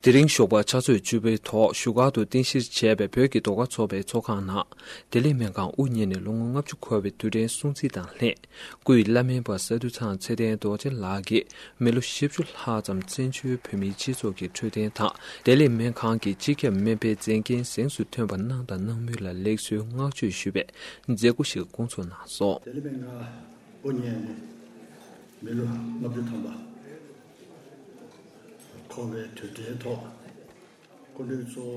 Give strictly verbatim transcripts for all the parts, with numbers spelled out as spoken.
དེ་རིང་ཞོགས་པ་ཕྱག་ཚོད་བཅུ་པའི་ཐོག་བཞུགས་སྒར་དུ་རྟེན་གཞིར་བྱས་པའི་བོད་ཀྱི་ཟློས་གར་ཚོགས་པའི་ཚོགས་ཁང་ནང་། བདེ་ལེགས་སྨན་ཁང་དབུ་བརྙེས་ནས་ལོ་ངོ་ལྔ་བཅུ་འཁོར་བའི་དུས་དྲན་སྲུང་བརྩི་དང་ལྷན། སྐུའི་བླ་སྨན་པ་ས་འདུ་ཚང་ཚེ་བརྟན་རྡོ་རྗེ་ལགས་ཀྱིས་མི་ལོ་བཞི་བཅུ་ལྷག་ཙམ་བཙན་བྱོལ་བོད་མིའི་སྤྱི་ཚོགས་ཀྱི་འཕྲོད་བསྟེན་དང་བདེ་ལེགས་སྨན་ཁང་གི་སྤྱི་ཁྱབ་སྨན་པའི་མཛད་འགན་གཟེངས་སུ་ཐོན་པ་གནང་དང་གནང་མུས་ལ་ལེགས་གསོལ་བསྔགས་བརྗོད་ཞུས་པའི་མཛད་སྒོ་ཞིག་སྐོང་ཚོགས་གནང་སོང་། བདེ་ལེགས་སྨན་ཁང་དབུ་བརྙེས་ནས་མི་ལོ་ལྔ་བཅུ་ཐམ་པ་འཁོར་བའི་དུས་དྲན་ཐོག་སྐུ་མགྲོན་གཙོ་བོ་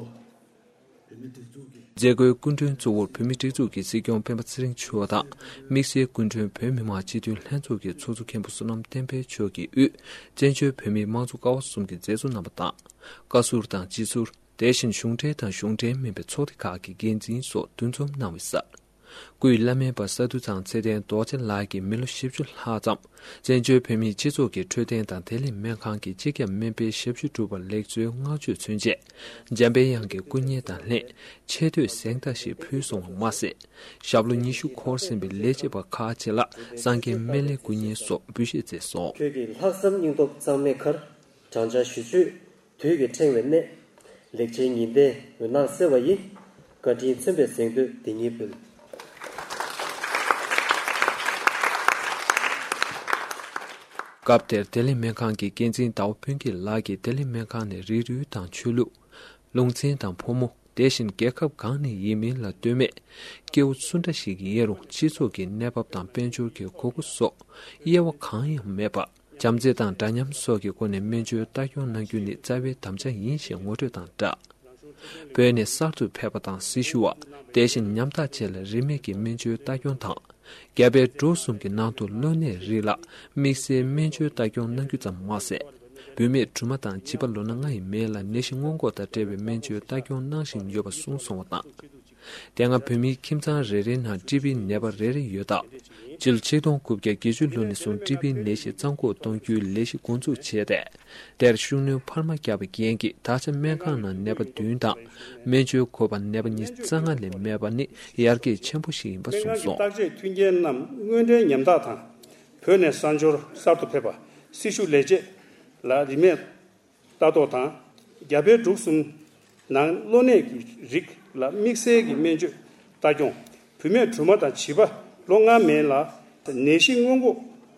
བོད་མིའི་སྒྲིག་འཛུགས་ཀྱི། མཛད་སྒོའི་སྐུ་མགྲོན་གཙོ་བོར་བོད་མིའི་སྒྲིག་འཛུགས་ཀྱི་སྲིད་སྐྱོང་སྤེན་པ་ཚེ་རིང་མཆོག་དང་། དམིགས་བསལ་སྐུ་མགྲོན་བོད་མི་མང་སྤྱི་འཐུས་ལྷན་ཚོགས་ཀྱི་ཚོགས་གཙོ་མཁན་པོ་བསོད་ནམས་བསྟན་འཕེལ་མཆོག་གིས་དབུས་བཙན་བྱོལ་བོད་མིའི་དམངས་གཙོ་ཀ་བ་གསུམ་གྱི་མཛད་གཙོ་རྣམ་པ་དང་། བཀའ་ཟུར་དང་སྤྱི་ཟུར། དེ་བཞིན་གཞུང་འབྲེལ་དང་གཞུང་འབྲེལ་མིན་པའི་ཚོགས་སྡེ་ཁག་གི་འགན་འཛིན་སོགས་འདུ་འཛོམས་གནང་བའི་སར། སྐུའི་བླ་སྨན་པ་ས་འདུ་ཚང་ཚེ་བརྟན་རྡོ་རྗེ་ལགས་ཀྱིས་མི་ལོ་བཞི་བཅུ་ལྷག་ཙམ་བཙན་བྱོལ་བོད་མིའི་སྤྱི་ཚོགས་ཀྱི་འཕྲོད་བསྟེན་དང་བདེ་ལེགས་སྨན་ཁང་གི་སྤྱི་ཁྱབ་སྨན་པའི་ཞབས་ཞུ་བསྒྲུབས་པར་ལེགས་གསོལ་བསྔགས་བརྗོད་མཚོན་ཆེད། འཇམ་དཔལ་དབྱངས་ཀྱི་སྐུ་བརྙན་དང་ལྷན་ཆེ་བསྟོད་གཟེངས་རྟགས་ཤིག་ཕུལ་སོང་བ་མ་ཟད། ཞབས་ལོ་ཉི་ཤུ་འཁོར་ཟིན་པའི་ལས་བྱེད་པ་ཁག་ཅིག་ལ་གསང་རྒྱས་སྨན་བླའི་སྐུ་བརྙན་སོགས་འབུལ་བཞེས་མཛད་སོང་། ཁྱོད་ཀྱི་ལྷག་བསམ་སྙིང་སྟོབས་གཙང་མའི་མཁར། བགྲང་བྱ་ཞུ་མཆོད་དུས་ཀྱི་ཕྲེང་བའི་གནས། ལེགས་བྱས་ཉི་ཟླའི་འོད་སྣང་གསལ་བ་ཡིས། བཀའ་དྲིན་མཚོན་པའི་གཟེངས་བསྟོད་འདི་ཉིད་འབུལ། སྐབས་དེར་བདེ་ལེགས་སྨན་ཁང་གི་འགན་འཛིན་ཟླ་བ་ཕུན་སྐྱིད་ལགས་ཀྱིས་བདེ་ལེགས་སྨན་ཁང་ནས་རིགས་རུས་དང་ཆོས་ལུགས། ལུང་ཚན་དང་ཕོ་མོ། དེ་བཞིན་རྒྱལ་ཁབ་གང་ནས་ཡིན་མིན་ལ་ལྟོས་མེད། སྐྱེ་བོ་སུ་འདྲ་ཞིག་ཡིན་རུང་སྤྱི་ཚོགས་ཀྱི་གནས་བབ་དང་དཔལ་འབྱོར་གྱི་དགོས་མཁོ་སོགས་དབྱེ་བ་གང་ཡང་མེད་པར། བྱམས་བརྩེ་དང་འདྲ་མཉམ་སོགས་ཀྱི་སྒོ་ནས་སྨན་བཅོས་ལྟ་སྐྱོང་གནང་རྒྱུ་ནི་རྩ་བའི་དམ་བཅའ་ཡིན་ཞེས་ངོ་སྤྲོད་དང་སྦྲགས། བོད་ནས་གསར་དུ་ཕེབས་པ་དང་སྲི་ཞུ་བ། དེ་བཞིན་ཉམ་ཐག་བཅས་ལ་རིན་མེད་ཀྱི་སྨན་བཅོས་ལྟ་སྐྱོང་དང་། རྒྱ་བལ་འབྲུག་གསུམ་གྱི་ནང་དུ་གློ་ནད་རིགས་ལ་དམིགས་བསལ་སྨན་བཅོས་ལྟ་སྐྱོང་གནང་རྒྱུ་ཙམ་མ་ཟད། བུད་མེད་སྦྲུམ་མ་དང་བྱིས་པ་ལོ་ན་ལྔ་ཡི་མན་ལ་ནད་གཞི་སྔོན་འགོག་དང་འབྲེལ་བའི་སྨན་བཅོས་ལྟ་སྐྱོང་གནང་བཞིན་ཡོད་པ་གསུངས་སོང་བ་དང་། དེ་སྔ་བོད་མིའི་ཁྱིམ་ཚང་རེ་རེའི་ནང་ཀྲི་བིའི་ནད་པ་རེ་རེ་ཡོད་སྟབས། སྤྱི་ལོ་ཆིག་སྟོང་དགུ་བརྒྱ་བརྒྱད་ཅུ་ལོ་ནས་བཟུང་ཀྲི་བིའི་ནད་གཞི་གཙང་འགོག་གཏོང་རྒྱུའི་ལས་གཞི་འགོ་འཛུགས་བྱས་ཏེ། དེར་ཤུགས་སྣོན་འཕར་མ་བརྒྱབ་པའི་རྐྱེན་གྱིས་ད་ཆ་སྨན་ཁང་ནང་ནད་པ་བདུན་དང་སྨན་བཅོས་དགོས་པ་ནད་པ་ཉི་ཤུ་རྩ་ལྔ་ལས་མེད་པ་ནི་ཡར་རྒྱས་ཆེན་པོ་ཞིག་ཡིན་པ་སྨན་ཁང་གསུངས་གི་སོང་། བརྟག་དཔྱད་མཐུན་རྐྱེན་རྣམས་དངོས་འབྲེལ་ཉམ་ཐག་དང་། བོད་ནས་གསར་འབྱོར་གསར་དུ་ཕེབས་པ་སྲི་ཞུ་ལས་བྱེད་ལ་རིན་མེད་ལྟ་རྟོག་དང་། རྒྱ་བལ་འབྲུག་གསུམ་ནང་གློ་ནད་ཀྱི་རིགས་ལ་དམིགས་བསལ་གྱི་སྨན་བཅོས་ལྟ་སྐྱོང་། བུད་མེད་སྦྲུམ་མ་དང་བྱིས་པ་ལོ་ལྔ་མན་ལ་ནད་གཞི་སྔོན་འགོག་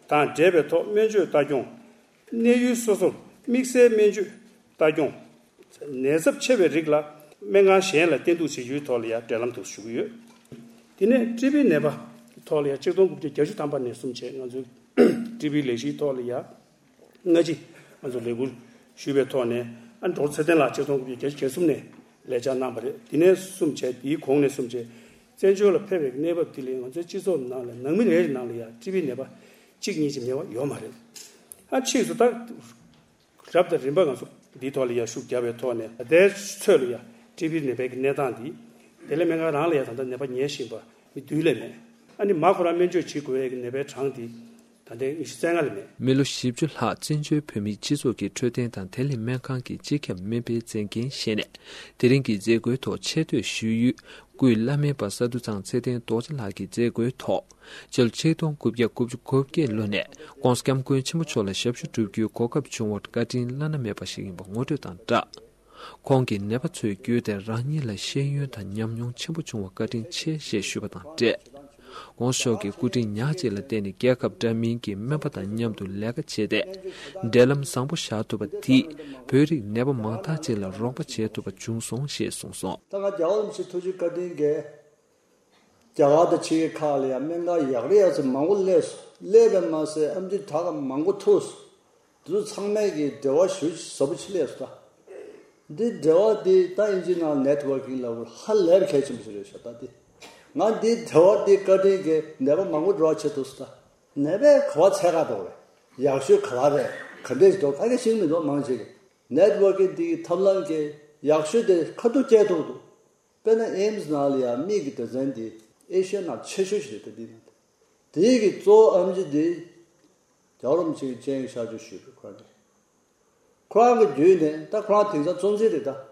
དང་འབྲེལ་བའི་ཐོག་སྨན་བཅོས་ལྟ་སྐྱོང་། གནས་ཡུལ་སོ་སོར་དམིགས་བསལ་སྨན་བཅོས་ལྟ་སྐྱོང་། ནད་ཚབས་ཆེ་བའི་རིགས་ལ་སྨན་ཁང་གཞན་ལ་བསྟེན་གཏུགས་བྱེད་རྒྱུའི་ཐོག་ལ་ཡང་འབྲེལ་ལམ་དུ་ཞུགས་ཀྱི་ཡོད། དེ་ནས་ཀྲི་བི་ནད་པ་ཐོག་ལ་ཡང་ཆིག་སྟོང་དགུ་བརྒྱ་བརྒྱད་ཅུ་ཐམ་པ་ནས་བཟུང་བྱས་ང་ཚོའི་ཀྲི་བི་ལས་གཞིའི་ཐོག་ལ་ཡང་སྔ་ཕྱི་ང་ཚོ་ལས་འགུལ་ཞུས་པའི་ཐོག་ནས་ཨ་ཌོག་ཊར་ཚེ་བརྟན་ལགས་ཆིག་སྟོང་དགུ་བརྒྱ་བརྒྱད་ཅུ་གྱ་གསུམ་ནས་ལས་འཆར་གནང་བ་རེད། དེ་ནས་བཟུང་བྱས་དེའི་གོང་ནས་བཟུང་བྱས་བཙན་བྱོལ་ལ་ཕེབས་པའི་གནས་བབ་དེ་ལས་ང་ཚོའི་སྤྱི་ཚོགས་ནང་ལ་ནང་མི་རེ་རེ་ནང་ལ་ཡང་ཀྲི་བི་ནད་པ་གཅིག་གཉིས་ཀྱི་མེད་པ་ཡོད་མ་རེད། ཨ་ཕྱིས་སུ་ད། རབ་དང་རིམ་པ་ང་ཚོ་འདིའི་ཐོག་ལ་ཡང་ཤུགས་རྒྱབ་པའི་ཐོག་ནས་ད་ལྟའི་ཚོད་ལ་ཡང་ཀྲི་བི་ནད་པའི་གི་གནས་སྟངས་འདི་དེ་ལས་སྨན་ཁང་རང་ལ་ཡང་ད་ལྟ་ནད་པ་ཉེན་བཞིན་པ་མི་བདུན་ལས་མེད། ཨ་ནི་མ་ཁོ་རང་སྨན་བཅོས་བྱེད་དགོས་ཡས་ཀྱི་ནད་པའི་གྲངས་འདི་ད་ལྟའི་ཉི་ཤུ་རྩ་ལྔ་ལས་མེད། མི་ལོ་བཞི་བཅུ་ལྷག་བཙན་བྱོལ་བོད་མིའི་སྤྱི་ཚོགས་ཀྱི་འཕྲོད་བསྟེན་དང་བདེ་ལེགས་སྨན་ཁང་གི་སྤྱི་ཁྱབ་སྨན་པའི་མཛད་འགན་བཞེས་ནས་དེ་རིང་གི་མཛད་སྒོའི་ཐོག་ཆེ་བསྟོད་ཞུ་ཡུལ། སྐུའི་བླ་སྨན་པ་ས་འདུ་ཚང་ཚེ་བརྟན་རྡོ་རྗེ་ལགས་ཀྱི་མཛད་སྒོའི་ཐོག་སྤྱི་ལོ་ཆིག་སྟོང་དགུ་བརྒྱ་དགུ་བཅུ་གོ་བརྒྱད་ལོ་ནས་༸གོང་ས་༸སྐྱབས་མགོན་ཆེན་པོ་མཆོག་ལ་ཞབས་ཞུ་བསྒྲུབ་རྒྱུའི་གོ་སྐབས་བྱུང་བར་བཀའ་དྲིན་བླ་ན་མེད་པ་ཞིག་ཡིན་པ་ངོ་སྤྲོད་དང་སྦྲགས། ཁོང་གིས་ནད་པ་ཚོའི་བརྒྱུད་དེ་རང་ཉིད་ལ་ཤེས་ཡོན་དང་ཉམས་མྱོང་ཆེན་པོ་བྱུང་བར་བཀའ་དྲིན་ཆེ་ཞེས་ཞུས་པ་དང་འབྲེལ། ༸གོང་ས་མཆོག་གི་སྐུ་དྲིན་ཉག་གཅིག་ལ་བརྟེན་ནས་རྒྱལ་ཁབ་འདྲ་མིན་གྱི་སྨན་པ་དང་མཉམ་དུ་ལས་ཀ་བྱས་ཏེ། འབྲེལ་ལམ་བཟང་པོ་བཞག་ཐུབ་པ་དེས་བོད་རིགས་ནད་པ་མང་དག་ཅིག་ལ་རོགས་པ་བྱེད་ཐུབ་པ་བྱུང་སོང་ཞེས་གསུངས་སོང་། ད་ང་རྒྱལ་བ་རིན་པོ་ཆེའི་ཐུགས་རྗེ་བཀའ་དྲིན་གྱིས། རྒྱ་གར་དང་ཕྱི་རྒྱལ་ཁག་ལ་ཡང་སྨན་ཁང་ཡག་རེ་ཡག་ཚད་མང་པོ་སླེབས་སོང་། སླེབས་པས་མ་ཟད་ཨེམ་ཆི་དྲག་མང་པོ་ཐུག་སོང་། འདི་ཚོ་ཚང་མས་ཀྱི་འབྲེལ་བ་ཞེ་ཟབ་པོ་ཅིག་སླེབས་སོང་ད། འདི་འབྲེལ་བ་འདི་ད་ཨིན་ཇིའི་ནང་ནེ་ཊི་ཝར་ཀིང་ལབ་དགོས་ཧ་ལས་པ་གལ་ཆེན་པོ་ཞིག་རེད་ཤག་ད་འདི་ང་འདི་འབྲེལ་བ་འདི་བཀའ་དྲིན་གྱིས་ནད་པ་མང་པོ་འགྲོ་བ་བྱེད་ཐུབ་སོང་ད། ནད་པས་ག་པར་འཚོལ་ག་འགྲོ་རེད། ཡག་ཤོས་ག་པར་རེད། ག་འདྲས་ཤིག་འདུག་ད་ག་ཤེས་ཀྱི་མི་འདུག་མང་ཆེ་གིས། ནེ་ཊི་ཝར་ཀིང་འདི་གི་ཐབས་ལམ་གྱིས་ཡག་ཤོས་དེ་ཁ་ཐུག་སྐྱེལ་ཐུབ་འདུག་དཔེར་ན་ཨེམ་སི་ནང་ལ་ཡང་མིག་གི་སྡེ་ཚན་འདི་ཨེ་ཤི་ཡ་ནང་ཆེ་ཤོས་ཤིག་རེད་དེ་འདི་ནང་དེ། དེའི་གི་གཙོ་བོ་ཨེམ་ཆི་འདི་རྒྱལ་བ་རིན་པོ་ཆེ་གི་སྤྱན་གྱིས་ཤར་ཆོས་ཞུས་པའི་ཁོ་རང་གི་ཁོ་རང་གི་བརྒྱུད་ནས་ད་ཁོ་རང་དེང་སང་གཙོ་འཛིན་རེད་ད།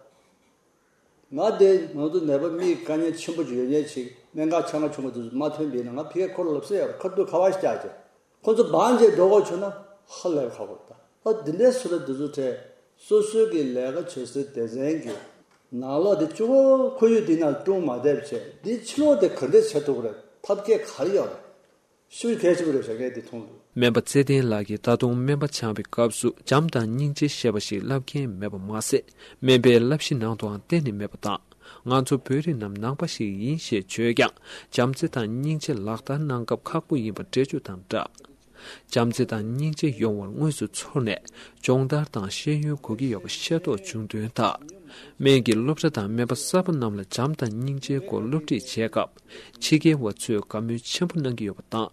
ང་དེ་ང་ཚོ་ནད་པ་མིག་དཀའ་ངལ་ཆེན་པོ་ཅིག་ཡོད་མཁན་ཅིག་སྨན་ཁང་ཆ་ཚང་ཆུང་ངུ་དེ་ཚོ་མ་ཐོན་པ་ཡིན་ན་ང་ཕ་གིར་ཁོ་ལ་ལབ་ས་ཡོད་རེད། ཁ་ཐུག་ཁ་པར་ཞིག་བརྒྱབ་བྱས་ཁོ་ཚོ་བང་བྱས་འགྲོ་དགོས་བྱུང་ན་ཧ་ལས་པ་ཁག་པོ་རེད་ད། ད་འདི་འདྲའི་བཟོ་འདྲ་འདི་ཚོ་གྲས་ སོ་སོའི་གི་ལས་ཀ་བྱེད་སའི་སྡེ་ཚན་གྱི་ནང་ལོགས་དེ་གཅིག་པོ་ཁོར་ཡུག་དེ་ནང་སྲུང་མ་བསྡད་པ་བྱས། འདི་ཕྱི་ལོགས་དེ་ག་འདྲས་བྱེད་ཐུབ་ཀྱི་རེད། ཐབས་མཁས་ག་རེ་ཡོད་རེད། ཤུགས་གལ་ཆེན་པོ་རེད་བྱ་མཁན་དེ་མཐོང་འདུག་སྨན་པ་ཚེ་བརྟན་ལགས་ཀྱིས་ད་དུང་སྨན་པ་སྦྱངས་པའི་སྐབས་སུ་བྱམས་དང་སྙིང་རྗེ་ཞེས་པ་ཞིག་བསླབ་མཁན་མེད་པ་མ་ཟད། སྨན་པའི་བསླབ་གཞི་ནང་དུའང་གཏན་ནས་མེད་པ་དང་། ང་ཚོ་བོད་རིགས་རྣམས་ནང་པ་ཞིག་ཡིན་ཞེས་བརྗོད་ཀྱང་། བྱམས་བརྩེ་དང་སྙིང་རྗེ་ལག་བསྟར་གནང་སྐབས་ཁག་པོ་ཡིན་པ་འགྲེལ་བརྗོད་དང་སྦྲགས། བྱམས་བརྩེ་དང་སྙིང་རྗེ་ཡོང་བར་དངོས་སུ་ཚོར་ནས། སྦྱོང་བརྡར་དང་ཤེས་ཡོན་དགོས་ཀྱི་ཡོད་པ་ཤེས་རྟོགས་བྱུང་དོན་ལྟར། སྨན་གྱི་སློབ་གྲྭ་དང་སྨན་པ་གསར་པ་རྣམས་ལ་བྱམས་དང་སྙིང་རྗེའི་སྐོར་སློབ་ཁྲིད་བྱེད་སྐབས། ཕྱི་རྒྱལ་བ་ཚོས་དགའ་མོས་ཆེན་པོ་གནང་གི་ཡོད་པ་དང་།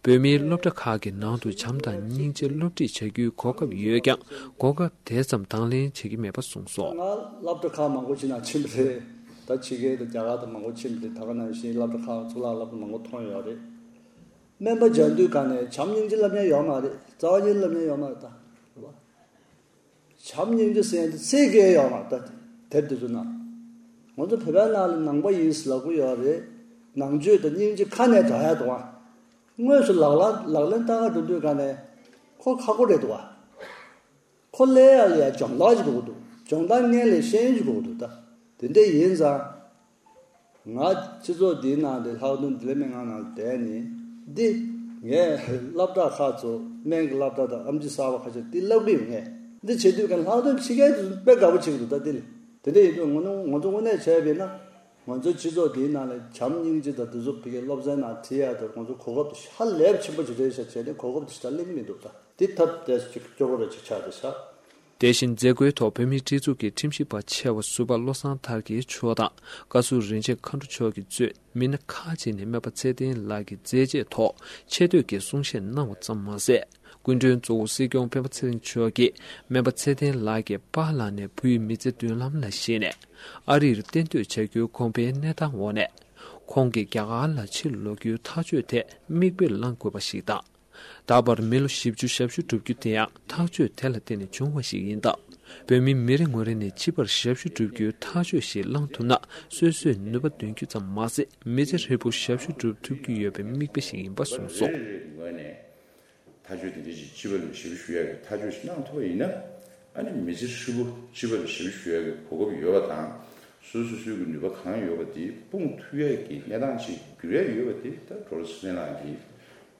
བོད་མིའི་སློབ་གྲྭ་ཁག་གི་ནང་དུ་བྱམས་དང་སྙིང་རྗེ་སློབ་ཁྲིད་བྱ་རྒྱུའི་གོ་སྐབས་ཡོད་ཀྱང་། གོ་སྐབས་དེ་ཙམ་དང་ལེན་བྱེད་ཀྱི་མེད་པ་གསུངས་སོང་། ང་སློབ་གྲྭ་ཁག་མང་པོ་ཅིག་ནང་ཕྱིན་པ་རེད། ད་ཕྱི་རྒྱལ་དང་རྒྱ་གར་དང་མང་པོ་ཕྱིན་པ་རེད། ད་ག་ནང་བཞིན་སློབ་གྲྭ་ཁག་གཙུག་ལག་སློབ་གྲྭ་མང་པོ་མཐོང་ཡོད་རེད། སྨན་པ་སྦྱང་དུས་ག་ནས་བྱམས་སྙིང་རྗེ་སློབ་མཁན་ཡོད་མ་རེད། རྩ་བ་ཉིད་སློབ་མཁན་ཡོད་མ་རེད། ད་རེད་བ། བྱམས་སྙིང་རྗེ་ཟེར་ཡ་དེ་ཚིག་གི་ཡོད་མ་རེད། ད་དེབ་དེ་ཚོ་ནང་ང་ཚོ་བོད་པའི་ནང་ལ་ནང་པ་ཡིན་ཟེར་ལབ་ཀྱི་ཡོད་རེད། ནང་ཆོས་དང་སྙིང་རྗེ་ཁ་ནས་གྲགས་ཡ་འདུག་བ། དངོས་སུ་ལག་ལ་ལག་ལེན་བསྟར་ག་འགྲོ་དུས་ག་ནས་ཁོ་ཁག་པོ་རེད་འདུག་བ། ཁོ་སླེབས་ཡ་ལ་ཡ་སྦྱོང་བརྡར་ཅིག་དགོས་ཀྱི་འདུག་སྦྱོང་བརྡར་སྔོན་ལ་ཤེས་ཡོན་ཅིག་དགོས་ཀྱི་འདུག་ད་དེ་འདྲ་ཡིན་ཙང་། ང་སྤྱི་ཚོགས་འདིའི་ནང་དེ་ལྷག་དོན་བདེ་ལེགས་སྨན་ཁང་ནང་བསྡད་ནས་འདི། ངས་སློབ་གྲྭ་ཁག་ཚོ་སྨན་གྱི་སློབ་གྲྭ་དང་ཨེམ་ཆི་གསར་པ་ཁ་ཤས་འདི་བསླབ་གི་ཡོད། ངས་འདི་བྱེད་དུས་ཀྱང་ལྷག་དོན་ཕྱི་རྒྱལ་དུ་དཔེ་དགའ་པོ་བྱེད་ཀྱི་འདུག་ད་འདི་ལ་དེ་འདྲ་ཡིན་དུས་ང་ཚོ་ང་ཚོ་དངོས་གནས་བྱས་པ་ཡིན་ན། ང་ཚོའི་སྤྱི་ཚོགས་འདིའི་ནང་ལ་བྱམས་སྙིང་རྗེ་དང་དེ་ཚོ་ཕ་གིའི་སློབ་ཚན་ནང་ཁྲིད་ཡ་དང་ང་ཚོ་གོ་སྐབས་དེ་ཧ་ལས་པ་ཆེན་པོ་ཅིག་རེད་ཤག་བྱས་ནས་གོ་སྐབས་དེ་ཞེ་དྲག་སླེབས་ཀྱི་མི་འདུག་ད་འདི་ཐབས་བདེ་ཅིག་སྐྱོ་པོ་རེད་ཅིག་ཆགས་བསྡད་ཤག་དེ་བཞིན་མཛད་སྒོའི་ཐོག་བོད་མིའི་སྒྲིག་འཛུགས་ཀྱི་ཁྲིམས་ཞིབ་པ་ཆེ་བ་ཟུར་པ་བློ་བཟང་ཐར་རྒྱས་མཆོག་དང་། བཀའ་ཟུར་རིན་ཆེན་མཁའ་འགྲོ་མཆོག་གིས་གཙོས་མི་སྣ་ཁག་ཅིག་ནས་སྨན་པ་ཚེ་བརྟན་ལགས་ཀྱི་མཛད་རྗེས་ཐོག་ཆེ་བསྟོད་ཀྱི་གསུང་བཤད་གནང་བ་ཙམ་མ་ཟད། སྐུ་མགྲོན་གཙོ་བོ་སྲིད་སྐྱོང་སྤེན་པ་ཚེ་རིང་མཆོག་གིས་སྨན་པ་ཚེ་བརྟན་ལགས་ཀྱི་པཱ་ལགས་ནས་བུའི་མི་ཚེ་མདུན་ལམ་ལ་གཞིགས་ནས། ཨ་རིར་གཏན་སྡོད་བྱ་རྒྱུའི་དགོངས་པའི་གནས་སྟངས་འོག་ནས། ཁོང་གིས་རྒྱ་གར་ལ་ཕྱིར་ལོག་རྒྱུའི་ཐག་གཅོད་དེ་མིག་དཔེ་བླང་དགོས་པ་ཞིག་དང་། ད་བར་མི་ལོ་བཞི་བཅུ་ཞབས་ཞུ་བསྒྲུབ་རྒྱུ་དེ་ཡང་ཐག་གཅོད་དེ་ལ་བརྟེན་ནས་བྱུང་བ་ཞིག་ཡིན་སྟབས། བོད་མི་མི་རེ་ངོ་རེ་ནས་སྤྱི་པར་ཞབས་ཞུ་བསྒྲུབ་རྒྱུའི་ཐག་གཅོད་ཞིག་བླང་ཐུབ་ན། སོ་སོས་ནུས་པ་འདོན་རྒྱུ་ཙམ་མ་ཟད། མི་ཚེ་ཧྲིལ་པོ་ཞབས་ཞུ་སྒྲུབ་ཐུབ་རྒྱུ་ཡོད་པའི་མིག་དཔེ་ཞིག་ཡིན་པ་གསུངས་སོང་། ཐག་གཅོད་དེ་འདྲ་ཞིག་སྤྱི་པ་ལ་ཞབས་ཞུ་ཞུ་ཡ་གི་ཐག་གཅོད་ཞིག་གནང་ཐུབ་པ་ཡིན་ན། ཨ་ནི་མི་ཚེ་ཧྲིལ་པོ་སྤྱི་པ་ལ་ཞབས་ཞུ་ཞུ་ཡ་གི་གོ་སྐབས་ཡོད་པ་དང་། སོ་སོ་སོའི་གི་ནུས་པ་གང་ཡོད་པ་དེ་སྤུངས་ཐུབ་ཡ་གི་གནས་སྟངས་ཤིག་འགྱུར་ཡ་ཡོད་པ་དེ་ད་ཌོག་ཊར་ཚེ་བརྟན་ལགས་ཀྱི་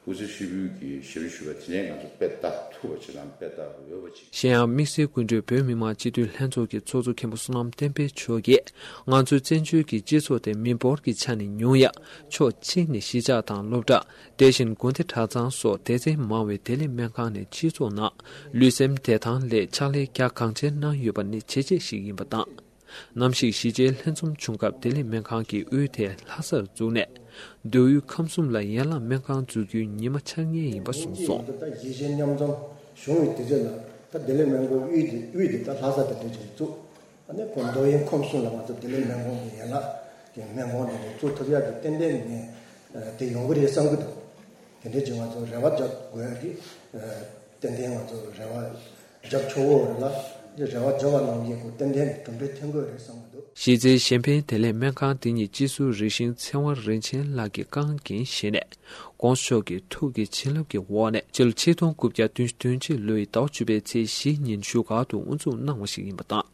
སྐུ་ཚེ་ཧྲིལ་པོའི་གི་ཞབས་ཞུ་ཞུ་བ་དེ་ནས་ང་ཚོ་དཔེ་ལྟ་ཐུབ་པ་ཅིག་དང་དཔེ་ལྟ་འོས་པ་ཅིག་གཞན་ཡང་དམིགས་བསལ་སྐུ་མགྲོན་བོད་མི་མང་སྤྱི་འཐུས་ལྷན་ཚོགས་ཀྱི་ཚོགས་གཙོ་མཁན་པོ་བསོད་ནམས་བསྟན་འཕེལ་མཆོག་གིས། ང་ཚོའི་བཙན་བྱོལ་གྱི་སྤྱི་ཚོགས་དེ་མི་འབོར་གྱི་ཆ་ནས་ཉུང་ཡ། ཕྱོགས་གཅིག་ནས་གཞིས་ཆགས་དང་སློབ་གྲྭ། དེ་བཞིན་དགོན་སྡེ་གྲྭ་ཚང་སོགས་སྡེ་ཚན་མང་བའི་བདེ་ལེགས་སྨན་ཁང་ནས་སྤྱི་ཚོགས་ནང་ལུས་སེམས་བདེ་ཐང་སླད་ཕྱག་ལས་རྒྱ་གང་ཆེར་གནང་ཡོད་པ་ནི་བྱས་རྗེས་ཤིག་ཡིན་པ་དང་། ནམ་ཞིག་གཞིས་བྱེས་ལྷན་འཛོམས་བྱུང་སྐབས་བདེ་ལེགས་སྨན་ཁང་གི་དབུས་དེ་ལྷ་སར་བཙུགས་ནས། མདོ་དབུས་ཁམས་གསུམ་ལ་ཡན་ལག་སྨན་ཁང་འཛུགས་རྒྱུའི་ཉི་མ་འཆར་ངེས་ཡིན་པ་གསུངས་སོང་། ད་གཞིས་བྱེས་མཉམ་འཛོམས་བྱུང་བའི་དུས་ཚོད་ལ་ད་བདེ་ལེགས་སྨན་ཁང་དབུས་དེ་དབུས་དེ་ད་ལྷ་ས་དེ་འདྲ་ཅིག་བཙུགས། ཨ་ནི་ཁོ་མདོ་དབུས་ཁམས་གསུམ་ལ་ང་ཚོ་བདེ་ལེགས་སྨན་ཁང་གི་ཡན་ལག་གི་སྨན་ཁང་དེ་འདྲ་བཙུགས་ཐུབ་ཡག་གི་ཏན་ཏན་ངས་དེ་ཡོང་གི་རེད་བསམ་གྱི་འདུག་དེ་འདྲ་ཅིག་ང་ཚོ་རེ་བ་རྒྱག་དགོས་ཡག་གི་ཏན་ཏན་ང་ཚོ་རེ་བ་རྒྱག་ཆོག་གི་རེད་ལ། རེ་བ་རྒྱག་པ་ནང་བཞིན་ཁོ་ཏན་ཏན་གྱི་གྲུབ་འབྲས་ཐོན་གྱི་རེད་བསམ་གྱི་འདུག་གཞིས་རྩེའི་གཞན་ཕན་བདེ་ལེགས་སྨན་ཁང་འདི་ཉིད་སྤྱི་ཟུར་རིགས་ཤིང་ཚེ་དབང་རིན་ཆེན་ལགས་ཀྱིས་རྐང་འགན་བཞེས་ནས། དགོངས་ཞུ་མཆོག་གི་ཐུགས་ཀྱི་བྱིན་རླབས་ཀྱི་འོག་ནས་སྤྱི་ལོ་ཆིག་སྟོང་དགུ་བརྒྱ་བདུན་ཅུ་དོན་གཅིག་ལོའི་ཟླ་བ་བཅུ་པའི་ཚེས་བཞི་ཉིན་བཞུགས་སྒར་དུ་དབུ་འཛུགས་གནང་བ་ཞིག་ཡིན་པ་དང་།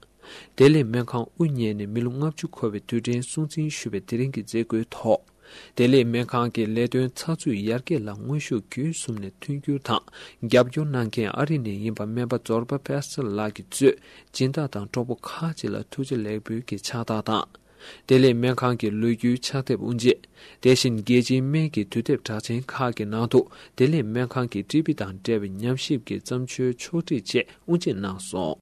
བདེ་ལེགས་སྨན་ཁང་དབུ་བརྙེས་ནས་མི་ལོ་ལྔ་བཅུ་འཁོར་བའི་དུས་དྲན་སྲུང་བརྩི་ཞུ་བའི་དེ་རིང་གི་མཛད་སྒོའི་ཐོག་བདེ་ལེགས་སྨན་ཁང་གི་ལས་དོན་ཚགས་ཚུད་ཡར་རྒྱས་ལ་དངོས་ཤུགས་བརྒྱུད་གསུམ་ནས་མཐུན་འགྱུར་དང་རྒྱབ་སྐྱོར་གནང་མཁན་ཨ་རི་ནས་ཡིན་པ་སྨན་པ་ཛོར་པ་པེ་སི་ལགས་ཀྱིས་གཙོས་སྦྱིན་བདག་དང་གྲོགས་པོ་ཁག་ཅིག་ལ་ཐུགས་རྗེ་ལེགས་འབུལ་གྱི་ཕྱག་རྟགས་དང་། བདེ་ལེགས་སྨན་ཁང་གི་ལོ་རྒྱུས་ཕྱག་དེབ་དབུ་འབྱེད། དེ་བཞིན་རྒྱལ་སྤྱིའི་སྨན་གྱི་དུས་དེབ་གྲགས་ཅན་ཁག་གི་ནང་དུ་བདེ་ལེགས་སྨན་ཁང་གི་ཊི་བི་དང་འབྲེལ་བའི་ཉམས་ཞིབ་ཀྱི་བརྩམས་ཆོས་ཕྱོགས་སྒྲིག་བཅས་དབུ་འབྱེད་གནང་སོང་།